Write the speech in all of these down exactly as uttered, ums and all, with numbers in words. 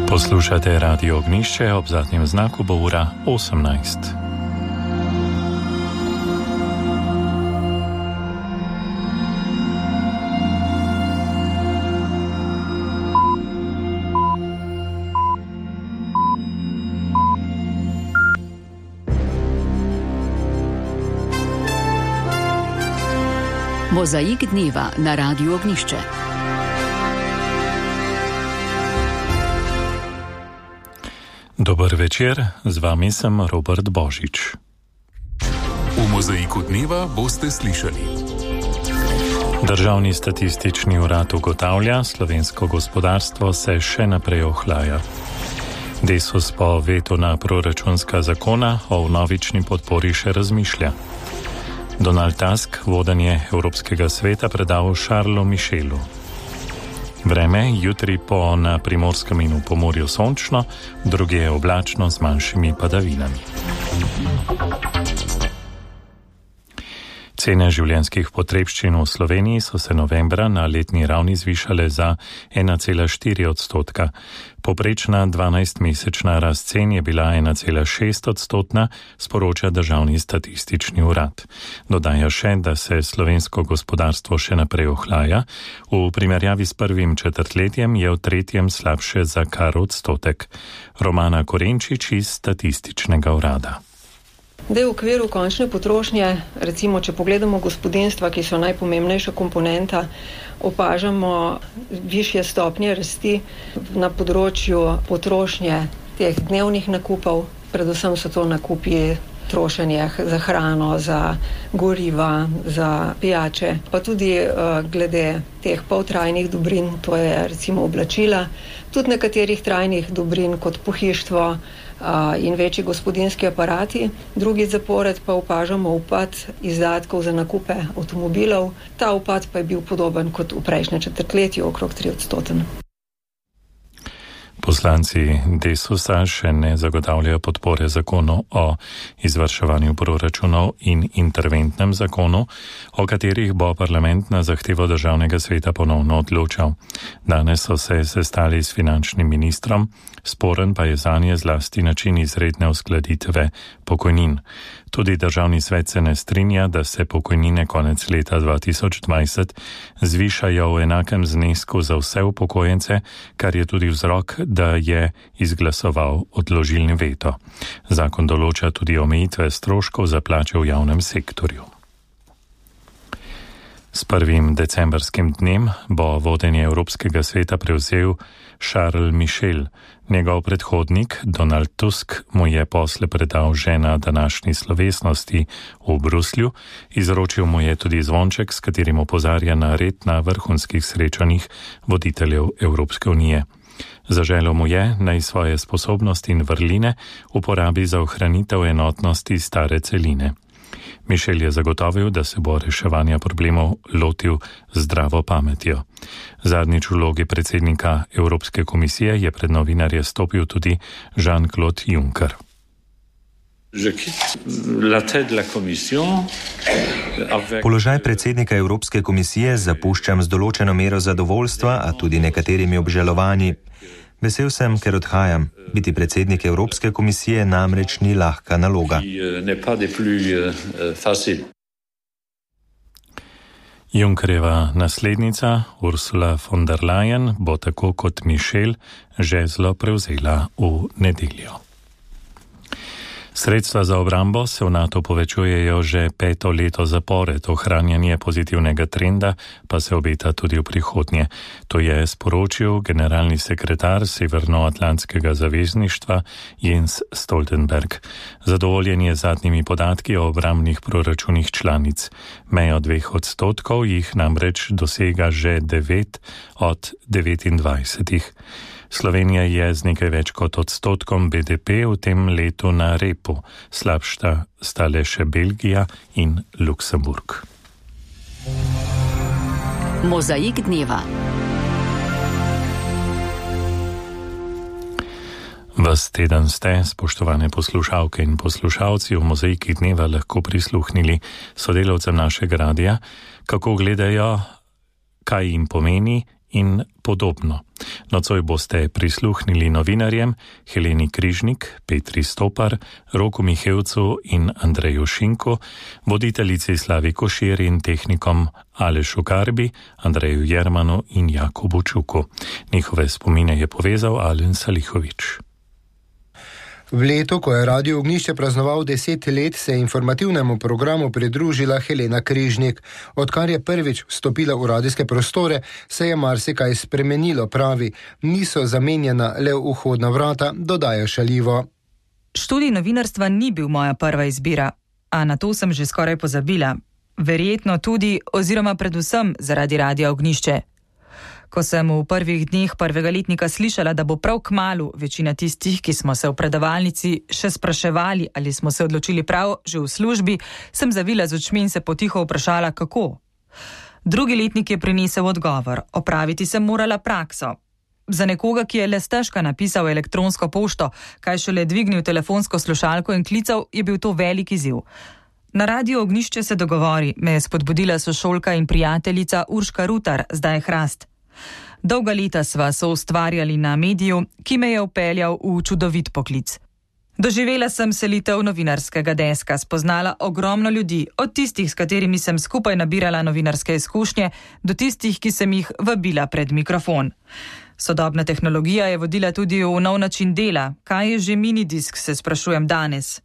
Poslušate Radio Ognišče, ob zadnjem znaku bo ura osemnajst. Mozaik dneva na Radiu Ognišče. Dober večer, z vami sem Robert Božič. V Mozaiku dneva boste slišali. Državni statistični urad ugotavlja, slovensko gospodarstvo se še naprej ohlaja. Desus po vetu na proračunska zakona o vnovični podpori še razmišlja. Donald Tusk vodenje Evropskega sveta predal Charlesu Michelu. Vreme jutri po na Primorskem in v Pomurju sončno, drugje oblačno z manjšimi padavinami. Cene življenjskih potrebščin v Sloveniji so se novembra na letni ravni zvišale za ena cela štiri odstotka. Poprečna dvanajstmesečna rast cen je bila ena cela šest odstotna, sporoča Državni statistični urad. Dodaja še, da se slovensko gospodarstvo še naprej ohlaja. V primerjavi s prvim četrtletjem je v tretjem slabše za kar odstotek. Romana Korenčič iz Statističnega urada. Da v okviru končne potrošnje, recimo, če pogledamo gospodinjstva, ki so najpomembnejša komponenta, opažamo višje stopnje rasti na področju potrošnje teh dnevnih nakupov, predvsem so to nakupi trošenje za hrano, za goriva, za pijače, pa tudi uh, glede teh poltrajnih dobrin, to je recimo oblačila, tudi nekaterih trajnih dobrin kot pohištvo uh, in večji gospodinjski aparati. Drugi zapored pa opažamo upad izdatkov za nakupe avtomobilov. Ta upad pa je bil podoben kot v prejšnjem četrtletju, okrog tri odstoten. Poslanci Desusa še ne zagotavljajo podpore zakonu o izvrševanju proračunov in interventnem zakonu, o katerih bo parlament na zahtevo Državnega sveta ponovno odločal. Danes so se sestali s finančnim ministrom, sporen pa je zanje zlasti način izredne uskladitve pokojnin. Tudi Državni svet se ne strinja, da se pokojnine konec leta dva tisoč dvajset zvišajo v enakem znesku za vse upokojence, kar je tudi vzrok, da je izglasoval odložilni veto. Zakon določa tudi omejitve stroškov za plače v javnem sektorju. S prvim decembrskim dnem bo vodenje Evropskega sveta prevzel Charles Michel. Njegov predhodnik Donald Tusk mu je posle predal že na današnji slovesnosti v Bruslju. Izročil mu je tudi zvonček, s katerim opozarja na red na vrhunskih srečanjih voditeljev Evropske unije. Zaželel mu je, naj svoje sposobnosti in vrline uporabi za ohranitev enotnosti stare celine. Michel je zagotovil, da se bo reševanja problemov lotil zdravo pametjo. Zadnjič v vlogi predsednika Evropske komisije je pred novinarje stopil tudi Jean-Claude Juncker. Položaj predsednika Evropske komisije zapuščam z določeno mero zadovoljstva, a tudi nekaterimi obžalovanji. Vesel sem, ker odhajam. Biti predsednik Evropske komisije namreč ni lahka naloga. Junckerjeva naslednica Ursula von der Leyen bo tako kot Michel žezlo prevzela v nedeljo. Sredstva za obrambo se v NATO povečujejo že peto leto zapored, ohranjanje pozitivnega trenda pa se obeta tudi v prihodnje. To je sporočil generalni sekretar Severnoatlantskega zavezništva Jens Stoltenberg. Zadovoljen je z zadnjimi podatki o obrambnih proračunih članic. Mejo dveh odstotkov jih namreč dosega že devet od devetindvajsetih. Slovenija je z nekaj več kot odstotkom B D P v tem letu na repu, slabša sta le še Belgija in Luksemburg. Mozaik dneva. Ves teden ste, spoštovane poslušalke in poslušalci, v Mozaiki dneva lahko prisluhnili sodelavcem našega radia, kako gledajo, kaj jim pomeni in podobno. Nocoj boste prisluhnili novinarjem Heleni Križnik, Petri Stopar, Roku Mihevcu in Andreju Šinku, voditeljici Slavi Košir in tehnikom Alešu Karbi, Andreju Jermanu in Jakobu Čuku. Njihove spomine je povezal Alen Salihovič. V letu, ko je Radio Ognjišče praznoval deset let, se je informativnemu programu pridružila Helena Križnik. Odkar je prvič vstopila v radijske prostore, se je marsikaj spremenilo, pravi. Niso zamenjena le vhodna vrata, dodaja šaljivo. Študij novinarstva ni bil moja prva izbira, a na to sem že skoraj pozabila. Verjetno tudi, oziroma predvsem zaradi Radia Ognjišče. Ko sem v prvih dneh prvega letnika slišala, da bo prav kmalu večina tistih, ki smo se v predavalnici še spraševali, ali smo se odločili prav že v službi, sem zavila z očmi in se potiho vprašala, kako. Drugi letnik je prinesel odgovor, opraviti sem morala prakso. Za nekoga, ki je le stežka napisal elektronsko pošto, kaj šele dvignil telefonsko slušalko in klical, je bil to velik izziv. Na Radio Ognjišče se dogovori, me je spodbudila sošolka in prijateljica Urška Rutar, zdaj Hrast. Dolga leta sva soustvarjali na mediju, ki me je vpeljal v čudovit poklic. Doživela sem selitev novinarskega deska, spoznala ogromno ljudi, od tistih, s katerimi sem skupaj nabirala novinarske izkušnje, do tistih, ki sem jih vabila pred mikrofon. Sodobna tehnologija je vodila tudi v nov način dela. Kaj je že minidisk, se sprašujem danes.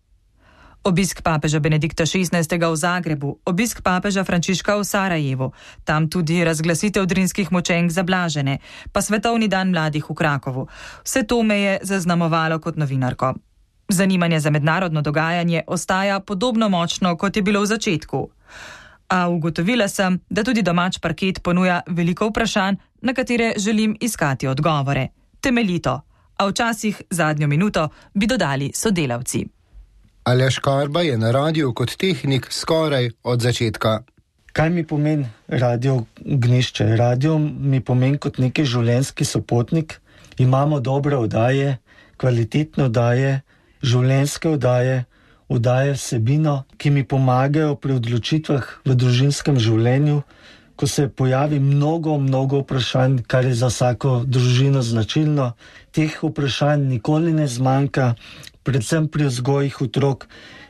Obisk papeža Benedikta šestnajstega v Zagrebu, obisk papeža Frančiška v Sarajevu, tam tudi razglasitev drinskih močenk za blažene, pa svetovni dan mladih v Krakovu. Vse to me je zaznamovalo kot novinarko. Zanimanje za mednarodno dogajanje ostaja podobno močno, kot je bilo v začetku. A ugotovila sem, da tudi domač parket ponuja veliko vprašanj, na katere želim iskati odgovore. Temeljito, a včasih zadnjo minuto bi dodali sodelavci. Aleš Karba je na radiju kot tehnik skoraj od začetka. Kaj mi pomeni Radio Ognjišče? Radio mi pomeni kot neki življenjski sopotnik. Imamo dobre oddaje, kvalitetne oddaje, življenjske oddaje, oddaje vsebino, ki mi pomagajo pri odločitvah v družinskem življenju, ko se pojavi mnogo, mnogo vprašanj, kar je za vsako družino značilno. Teh vprašanj nikoli ne zmanjka, predvsem pri vzgojih otrok,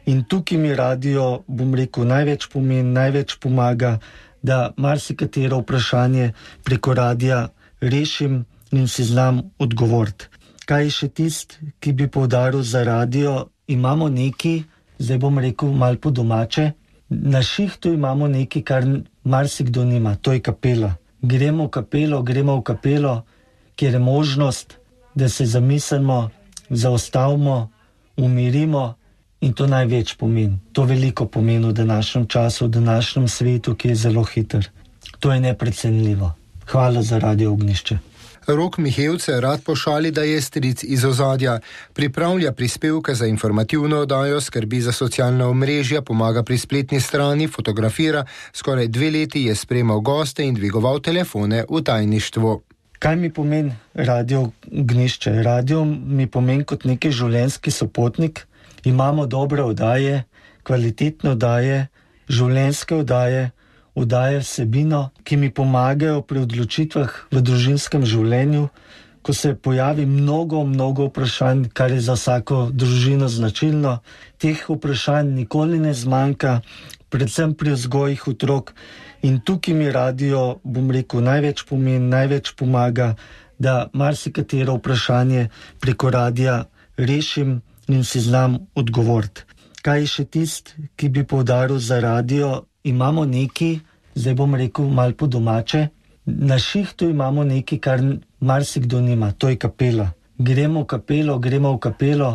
in tukaj mi radio, bom rekel, največ pomeni, največ pomaga, da marsikatero vprašanje preko radija rešim in si znam odgovoriti. Kaj je še tist, ki bi poudaril za radio? Imamo nekaj, zdaj bom rekel malo po domače, na šihtu imamo nekaj, kar marsikdo nima, to je kapela. Gremo v kapelo, gremo v kapelo, kjer je možnost, da se zamislimo, zaustavimo, umirimo, in to največ pomeni. To veliko pomeni v današnjem času, v današnjem svetu, ki je zelo hiter. To je neprecenljivo. Hvala za Radio Ognjišče. Rok Mihevce rad pošali, da je stric iz ozadja. Pripravlja prispevke za informativno oddajo, skrbi za socialna omrežja, pomaga pri spletni strani, fotografira. Skoraj dve leti je sprejemal goste in dvigoval telefone v tajništvu. Kaj mi pomeni Radio Ognjišče? Radio mi pomeni kot neki življenjski sopotnik. Imamo dobre oddaje, kvalitetne oddaje, življenjske oddaje, oddaje vsebino, ki mi pomagajo pri odločitvah v družinskem življenju, ko se pojavi mnogo, mnogo vprašanj, kar je za vsako družino značilno. Teh vprašanj nikoli ne zmanjka, predvsem pri vzgojih otrok. In tukaj mi radio, bom rekel, največ pomeni, največ pomaga, da marsikatero vprašanje preko radija rešim in si znam odgovoriti. Kaj je še tist, ki bi poudaril za radio? Imamo nekaj, zdaj bom rekel malo po domače, na šihtu imamo nekaj, kar marsikdo nima, to je kapela. Gremo v kapelo, gremo v kapelo,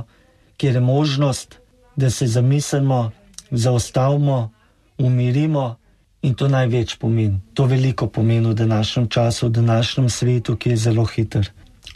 kjer je možnost, da se zamislimo, zaustavimo, umirimo, in to največ pomeni. To veliko pomeni v današnjem času, v današnjem svetu, ki je zelo hiter.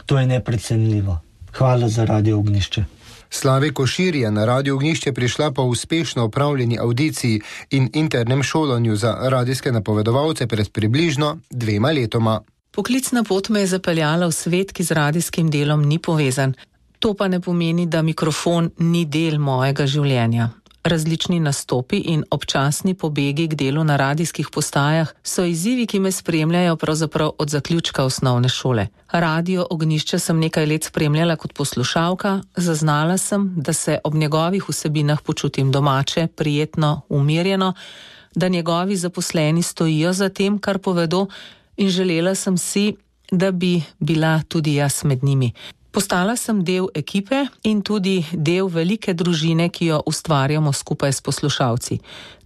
To je neprecenljivo. Hvala za Radio Ognjišče. Slavi Košir je na Radio Ognjišče prišla po uspešno opravljeni audiciji in internem šolanju za radijske napovedovalce pred približno dvema letoma. Poklicna pot me je zapeljala v svet, ki z radijskim delom ni povezan. To pa ne pomeni, da mikrofon ni del mojega življenja. različni nastopi in občasni pobegi k delu na radijskih postajah so izzivi, ki me spremljajo pravzaprav od zaključka osnovne šole. Radio Ognjišče sem nekaj let spremljala kot poslušalka, zaznala sem, da se ob njegovih vsebinah počutim domače, prijetno, umirjeno, da njegovi zaposleni stojijo za tem, kar povedo, in želela sem si, da bi bila tudi jaz med njimi. Postala sem del ekipe in tudi del velike družine, ki jo ustvarjamo skupaj s poslušalci.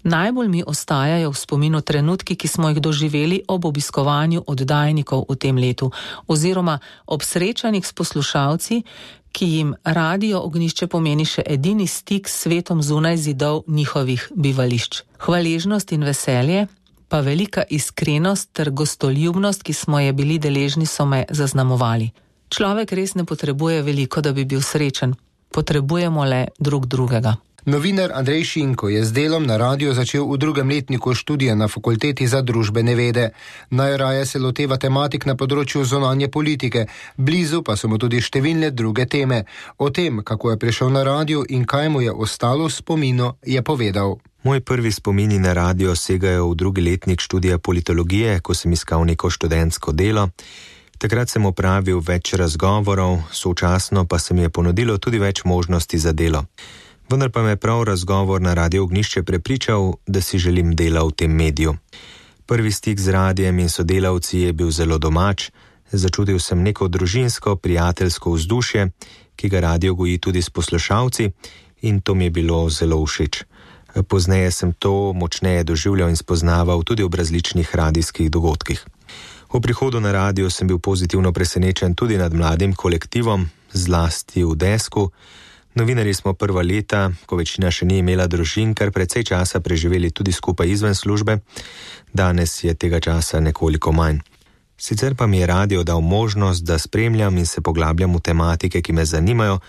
Najbolj mi ostajajo v spominu trenutki, ki smo jih doživeli ob obiskovanju oddajnikov v tem letu, oziroma ob srečanjih s poslušalci, ki jim Radio Ognjišče pomeni še edini stik s svetom zunaj zidov njihovih bivališč. Hvaležnost in veselje, pa velika iskrenost ter gostoljubnost, ki smo je bili deležni, so me zaznamovali. Človek res ne potrebuje veliko, da bi bil srečen. Potrebujemo le drug drugega. Novinar Andrej Šinko je z delom na radiju začel v drugem letniku študija na Fakulteti za družbene vede. Najraje se loteva tematik na področju zunanje politike, blizu pa so mu tudi številne druge teme. O tem, kako je prišel na radio in kaj mu je ostalo v spominu, je povedal. Moji prvi spomini na radio segajo v drugi letnik študija politologije, ko sem iskal neko študentsko delo. Takrat sem opravil več razgovorov, sočasno pa se mi je ponudilo tudi več možnosti za delo. Vendar pa me je prav razgovor na Radio Ognjišče prepričal, da si želim dela v tem mediju. Prvi stik z radijem in sodelavci je bil zelo domač, začutil sem neko družinsko, prijateljsko vzdušje, ki ga radio goji tudi s poslušalci, in to mi je bilo zelo všeč. Pozneje sem to močneje doživljal in spoznaval tudi ob različnih radijskih dogodkih. V prihodu na radio sem bil pozitivno presenečen tudi nad mladim kolektivom, zlasti v Desku. Novinarji smo prva leta, ko večina še ni imela družin, kar precej časa preživeli tudi skupaj izven službe. Danes je tega časa nekoliko manj. Sicer pa mi je radio dal možnost, da spremljam in se poglabljam v tematike, ki me zanimajo,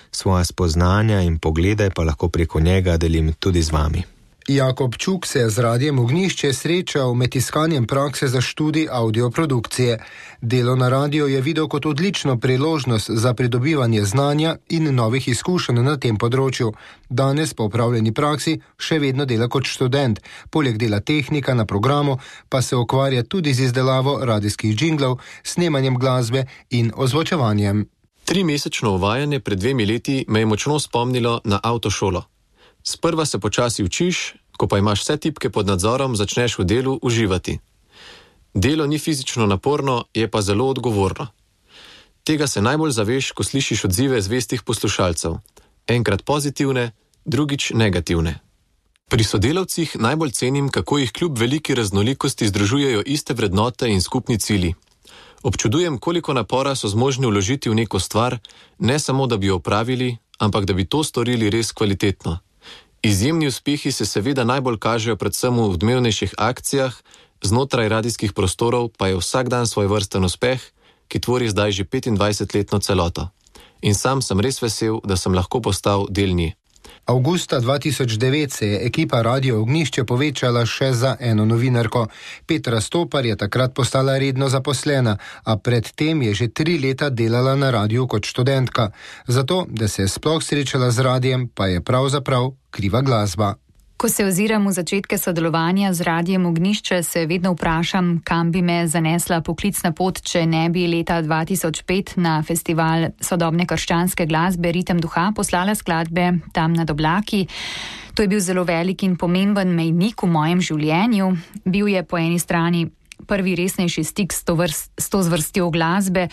svoja spoznanja in poglede pa lahko preko njega delim tudi z vami. Jakob Čuk se je z Radijem Ognjišče srečal med iskanjem prakse za študij audioprodukcije. Delo na radiju je videl kot odlično priložnost za pridobivanje znanja in novih izkušenj na tem področju. Danes po opravljeni praksi še vedno dela kot študent. Poleg dela tehnika na programu pa se ukvarja tudi z izdelavo radijskih džinglov, snemanjem glasbe in ozvočevanjem. Trimesečno uvajanje pred dvemi leti me je močno spomnilo na avtošolo. Sprva se počasi učiš, ko pa imaš vse tipke pod nadzorom, začneš v delu uživati. Delo ni fizično naporno, je pa zelo odgovorno. Tega se najbolj zaveš, ko slišiš odzive zvestih poslušalcev. Enkrat pozitivne, drugič negativne. Pri sodelavcih najbolj cenim, kako jih kljub veliki raznolikosti združujejo iste vrednote in skupni cilji. Občudujem, koliko napora so zmožni vložiti v neko stvar, ne samo da bi jo opravili, ampak da bi to storili res kvalitetno. Izjemni uspehi se seveda najbolj kažejo predvsem v odmevnejših akcijah, znotraj radijskih prostorov pa je vsak dan svoj vrsten uspeh, ki tvori zdaj že petindvajsetletno celoto. In sam sem res vesel, da sem lahko postal del nje. Avgusta dva tisoč devet se je ekipa Radio Ognjišče povečala še za eno novinarko. Petra Stopar je takrat postala redno zaposlena, a predtem je že tri leta delala na radiju kot študentka. Zato, da se je sploh srečala z radijem, pa je pravzaprav kriva glasba. Ko se oziram v začetke sodelovanja z Radijem Ognjišče, se vedno vprašam, kam bi me zanesla poklicna pot, če ne bi leta dva tisoč pet na festival sodobne krščanske glasbe Ritem duha poslala skladbe Tam nad oblaki. To je bil zelo velik in pomemben mejnik v mojem življenju. Bil je po eni strani prvi resnejši stik s to, vrst, s to zvrstjo glasbe,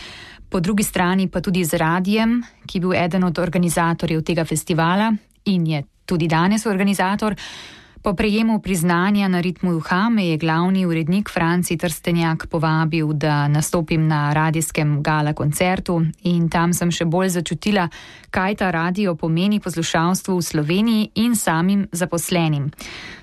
po drugi strani pa tudi z radijem, ki je bil eden od organizatorjev tega festivala in je tudi danes organizator. Po prejemu priznanja na Ritmu duha me je glavni urednik Franci Trstenjak povabil, da nastopim na radijskem gala koncertu in tam sem še bolj začutila, kaj ta radio pomeni poslušalstvu v Sloveniji in samim zaposlenim.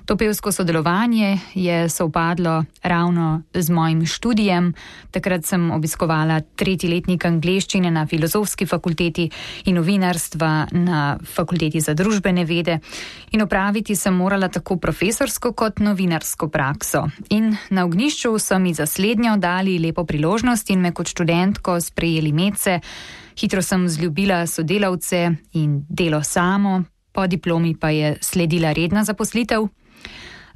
To pevsko sodelovanje je sovpadlo ravno z mojim študijem. Takrat sem obiskovala tretji letnik angleščine na Filozofski fakulteti in novinarstva na Fakulteti za družbene vede in opraviti sem morala tako profesorsko kot novinarsko prakso. In na Ognjišču so mi za slednjo dali lepo priložnost in me kot študentko sprejeli medse. Hitro sem vzljubila sodelavce in delo samo. po diplomi pa je sledila redna zaposlitev.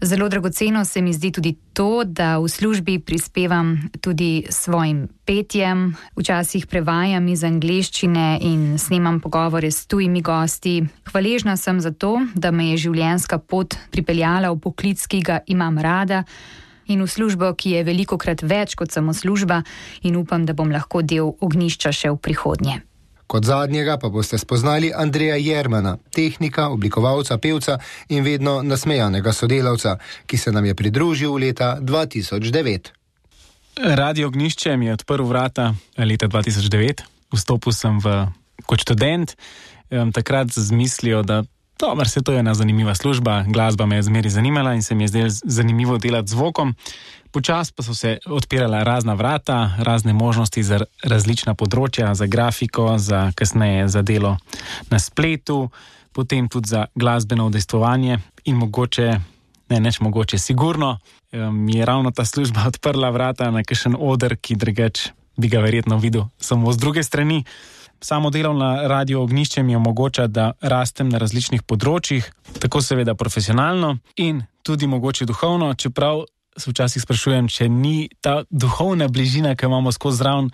Zelo dragoceno se mi zdi tudi to, da v službi prispevam tudi svojim petjem, včasih prevajam iz angleščine in snemam pogovore s tujimi gosti. Hvaležna sem za to, da me je življenjska pot pripeljala v poklic, ki ga imam rada, in v službo, ki je velikokrat več kot samo služba, in upam, da bom lahko del ognjišča še v prihodnje. Kot zadnjega pa boste spoznali Andreja Jermana, tehnika, oblikovalca, pevca in vedno nasmejanega sodelavca, ki se nam je pridružil leta dva tisoč devet. Radio Ognjišče mi je odprl vrata leta dva tisoč devet. Vstopil sem v, kot študent, takrat z mislijo, da dober, se to je ena zanimiva služba, glasba me je zmeri zanimala in se mi je zdelo zanimivo delati z zvokom. Počas pa so se odpirala razna vrata, razne možnosti za različna področja, za grafiko, za kasneje za delo na spletu, potem tudi za glasbeno udejstvovanje in mogoče, ne neč mogoče, sigurno mi je ravno ta služba odprla vrata na kakšen oder, ki drugač bi ga verjetno videl samo z druge strani. Samo delo na Radio Ognjišče mi omogoča, da rastem na različnih področjih, tako seveda profesionalno in tudi mogoče duhovno, čeprav se včasih sprašujem, če ni ta duhovna bližina, ki imamo skozi zraven,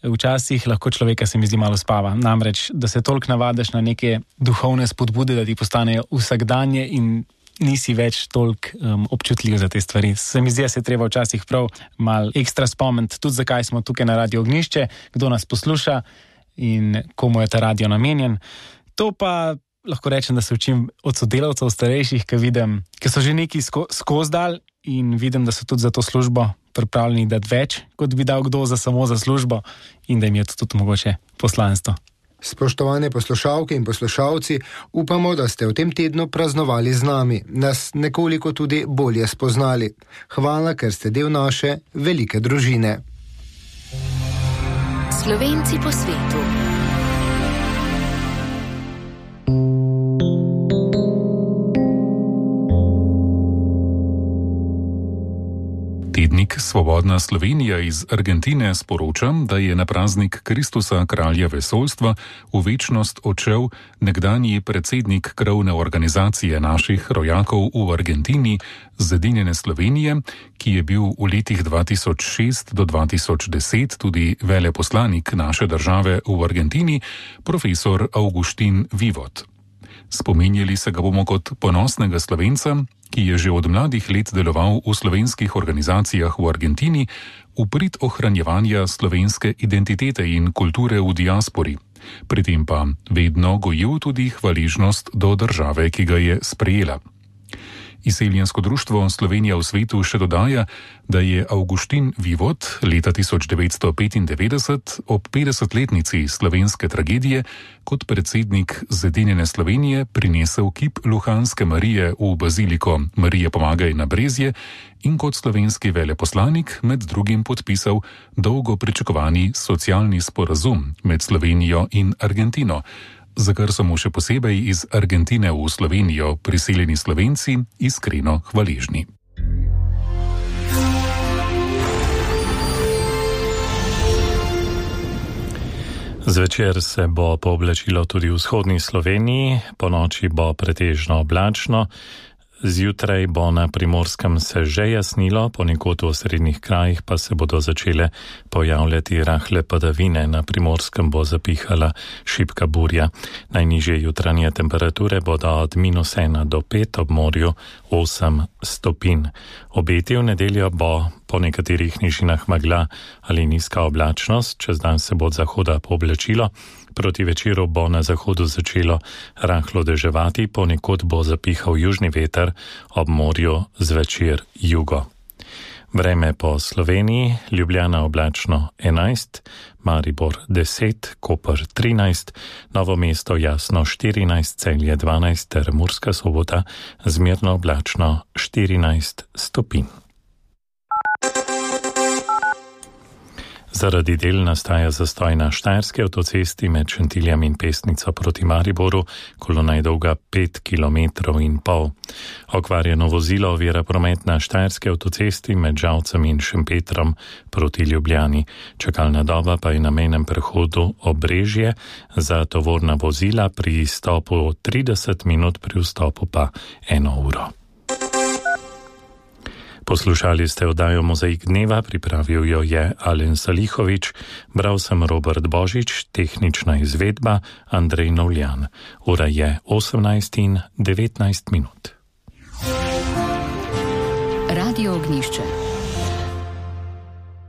včasih lahko človeka se mi zdi malo spava. Namreč, da se toliko navadiš na neke duhovne spodbude, da ti postanejo vsakdanje in nisi več toliko um, občutljiv za te stvari. Se mi zdi, da se treba včasih prav malo ekstra spomniti, tudi zakaj smo tukaj na Radio Ognjišče, kdo nas posluša in komu je ta radio namenjen. To pa lahko rečem, da se učim od sodelavcev starejših, ki vidim, ki so že neki sko, skozi dal in vidim, da so tudi za to službo pripravljeni dati več, kot bi dal kdo za samo za službo in da jim je to tudi mogoče poslanstvo. Spoštovane poslušalke in poslušalci, upamo, da ste v tem tednu praznovali z nami, nas nekoliko tudi bolje spoznali. Hvala, ker ste del naše velike družine. Slovenci po svetu. Tednik Svobodna Slovenija iz Argentine sporoča, da je na praznik Kristusa kralja vesoljstva v večnost odšel nekdanji predsednik krovne organizacije naših rojakov v Argentini, Zedinjene Slovenije, ki je bil v letih dva tisoč šest do dva tisoč deset tudi veleposlanik naše države v Argentini, profesor Augustin Vivot. Spominjali se ga bomo kot ponosnega Slovenca, ki je že od mladih let deloval v slovenskih organizacijah v Argentini v prid ohranjevanja slovenske identitete in kulture v diaspori. Pri tem pa vedno gojil tudi hvaležnost do države, ki ga je sprejela. Izseljensko društvo Slovenija v svetu še dodaja, da je Augustin Vivot leta tisoč devetsto petindevetdeset ob petdesetletnici slovenske tragedije kot predsednik Zedinjene Slovenije prinesel kip Luhanske Marije v baziliko Marije Pomagaj na Brezje in kot slovenski veleposlanik med drugim podpisal dolgo pričakovani socialni sporazum med Slovenijo in Argentino, za kar so mu še posebej iz Argentine v Slovenijo priseljeni Slovenci iskreno hvaležni. Zvečer se bo pooblačilo tudi v vzhodni Sloveniji, ponoči bo pretežno oblačno. Zjutraj bo na Primorskem se že jasnilo, ponekod v srednjih krajih pa se bodo začele pojavljati rahle padavine. Na Primorskem bo zapihala šibka burja. Najnižje jutranje temperature bodo od minus ena do pet, ob morju osem stopinj. Obeti v nedeljo bo po nekaterih nižinah megla ali nizka oblačnost, čez dan se bo od zahoda pooblačilo. Proti večeru bo na zahodu začelo rahlo deževati, ponekod bo zapihal južni veter, ob morju zvečer jugo. Vreme po Sloveniji: Ljubljana oblačno enajst, Maribor deset, Koper trinajst, Novo mesto jasno štirinajst, Celje dvanajst ter Murska Sobota zmerno oblačno štirinajst stopinj. Zaradi del nastaja zastoj na Štajerski avtocesti med Šentiljem in Pesnico proti Mariboru, kolona je dolga pet kilometrov in pol. Okvarjeno vozilo ovira promet na Štajerski avtocesti med Žalcem in Šempetrom proti Ljubljani. Čakalna doba pa je na mejnem prehodu Obrežje za tovorna vozila pri izstopu trideset minut, pri vstopu pa eno uro. Poslušali ste oddajo Mozaik dneva, pripravil jo je Alen Salihovič, bral sem Robert Božič, tehnična izvedba Andrej Novljan. Ura je osemnajst in devetnajst minut. Radio Ognjišče.